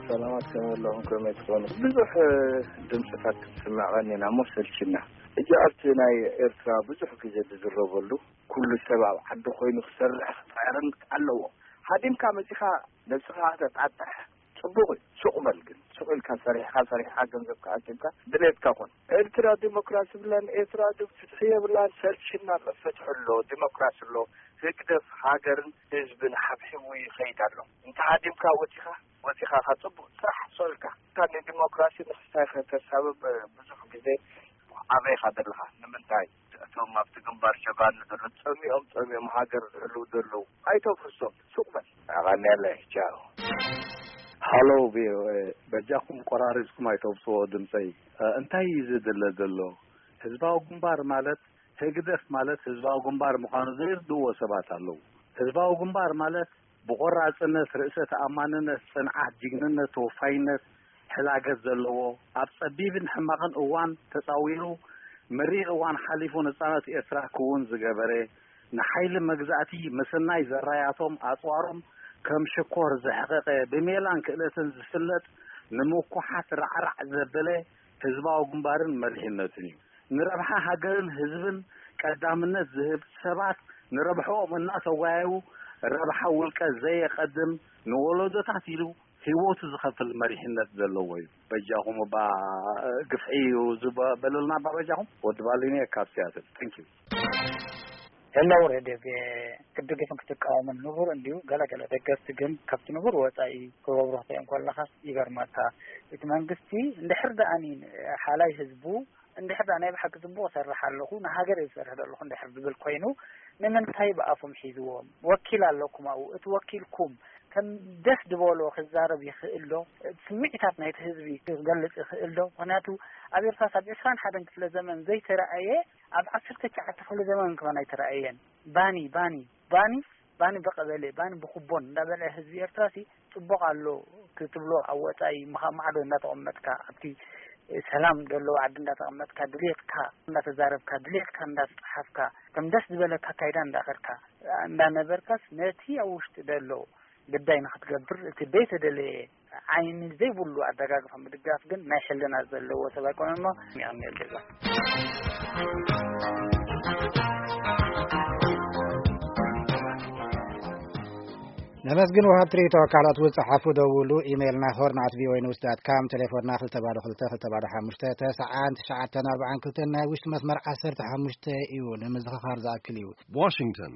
ሰላማት ከመይ ኣለኹም? ከመይ ትኾኑ? ብዙሕ ድምፅታት ክትስምዐኒ ኢና እሞ ሰልችና። ሕጂ ኣብቲ ናይ ኤርትራ ብዙሕ ግዜ ዝዝረበሉ፣ ኩሉ ሰብ ኣብ ዓዲ ኮይኑ ክሰርሕ ክፅዕርን ኣለዎ። ሃዲምካ መፂኻ ነብስኻ ተጣጥሕ፣ ፅቡቕ እዩ። ሱቕ በል ግን፣ ሱቕ ኢልካ ሰሪሕካ፣ ሰሪሕካ ገንዘብ ከኣኪብካ ድሌትካ ኮን። ኤርትራ ዲሞክራሲ ብላን፣ ኤርትራ ድ-፣ ፍትሒ የብላን፣ ሰልችና ኣሎ። ፍትሒ ኣሎ፣ ዲሞክራሲ ኣሎ፣ ህግደፍ ሃገርን ህዝብን ሓብሒቡ ይኸይድ ኣሎ። እንተ ሃዲምካ ወፂኻ፣ ወፂኻ ካ ፅቡቕ ስራሕ ሶልካ እታ ንዲሞክራሲ ንክስታይ ከተሳብብ ብዙሕ ግዜ ኣበይኻ ዘለኻ? ንምንታይ እቶም ኣብቲ ግንባር ጀጋኑ ዘለዉ ጸሚኦም ጸሚኦም ሃገር ዝሕልዉ ዘለዉ ኣይተፍርሶም? ሱቕ በል። ኣቐንየለይ። ቻው። ሃሎ ቪ ኦ ኤ፣ በጃኹም ቆራሪጽኩም ኣይተውጽዎ ድምጸይ። እ፣ እንታይ እዩ ዝድለ ዘሎ? ህዝባዊ ግንባር ማለት፣ ህግደፍ ማለት ህዝባዊ ግንባር ምዃኑ ዘይርድእዎ ሰባት ኣለዉ። ህዝባዊ ግንባር ማለት ብቆራጽነት፣ ርእሰ ተኣማንነት፣ ጽንዓት፣ ጅግንነት፣ ተወፋይነት፣ ሕላገት ዘለዎ፣ ኣብ ጸቢብን ሕማቕን እዋን ተጻዊሩ፣ መሪር እዋን ሓሊፉ ነጻነት ኤርትራ ክውን ዝገበረ፣ ንሓይሊ መግዛእቲ ምስናይ ዘራያቶም ኣጽዋሮም ከም ሽኮር ዘሕቐቐ፣ ብሜላን ክእለትን ዝፍለጥ፣ ንምኩሓት ራዕራዕ ዘበለ ህዝባዊ ግንባርን መሪሕነቱን እዩ። ንረብሓ ሃገርን ህዝብን ቀዳምነት ዝህብ፣ ሰባት ንረብሕኦም እናተጓየዩ ረብሓ ውልቀ ዘየቐድም፣ ንወለዶታት ኢሉ ህይወቱ ዝኸፍል መሪሕነት ዘለዎ እዩ። በጃኹም እባ ግፍዒ እዩ ዝበለልና እባ በጃኹም። ወዲ ባሊኒ ካብ ሲያትል። Thank you። ሄሎ ሬድዮ ቪ ኦ ኤ፣ ክትድግፍን ክትቃወምን ንቡር እንዲዩ። ገለገለ ደገፍቲ ግን ካብቲ ንቡር ወጻኢ ክገብሩ ክትሪኦም ከለኻስ ይገርመካ። እቲ መንግስቲ እንድሕር ደኣኒ ሓላይ ህዝቡ እንድሕር ደኣ ናይ ብሓቂ ጽቡቕ እሰርሕ ኣለኹ፣ ንሃገር እየ ዝሰርሕ ዘለኹ እንድሕር ዝብል ኮይኑ፣ ንምንታይ ብኣፎም ሒዝዎም? ወኪል ኣለኩም ኣብኡ። እቲ ወኪልኩም ከም ደስ ዝበሎ ክዛረብ ይኽእል ዶ? ስምዒታት ናይቲ ህዝቢ ክገልጽ ይኽእል ዶ? ምኽንያቱ ኣብ ኤርትራስ ኣብ ዕስራን ሓደን ክፍለ ዘመን ዘይተረኣየ ኣብ ዓሰርተ ትሽዓተ ክፍለ ዘመን ከማን ኣይተረኣየን። ባኒ፣ ባኒ፣ ባኒ፣ ባኒ ብቐበሌ፣ ባኒ ብኩቦን እንዳበልዐ ህዝቢ ኤርትራሲ ጽቡቕ ኣሎ ክትብሎ ኣብ ወጻኢ ምኻ-፣ ማዕዶ እንዳተቐመጥካ፣ ኣብቲ ሰላም ዘለዎ ዓዲ እንዳተቐመጥካ፣ ድሌትካ እንዳተዛረብካ፣ ድሌትካ እንዳጸሓፍካ፣ ከም ደስ ዝበለካ ኣካይዳ እንዳኸድካ፣ እንዳነበርካስ ነቲ ኣብ ውሽጢ ዘሎ ግዳይ ንኽትገብር እቲ ዘይተደለየ ዓይኒ ዘይብሉ ኣደጋግፋ ምድጋፍ ግን ናይ ሕልና ዘለዎ ሰብ ኣይኮነን እሞ የቐንየለይ። ነመስግን። ወሃብቲ ርእይቶ፣ ካልኦት እውን ጸሓፉ፣ ደውሉ። ኢሜይልና ሆርን ኣት ቪ ኦ ኤ ኒውስ ዳት ካም፣ ቴሌፎንና ክልተ ባዶ ክልተ ክልተ ባዶ ሓሙሽተ ተስዓን ትሽዓተን ኣርባዓን ክልተን፣ ናይ ውሽጢ መስመር ዓሰርተ ሓሙሽተ እዩ። ንምዝኽኻር ዝኣክል እዩ። ዋሽንግተን።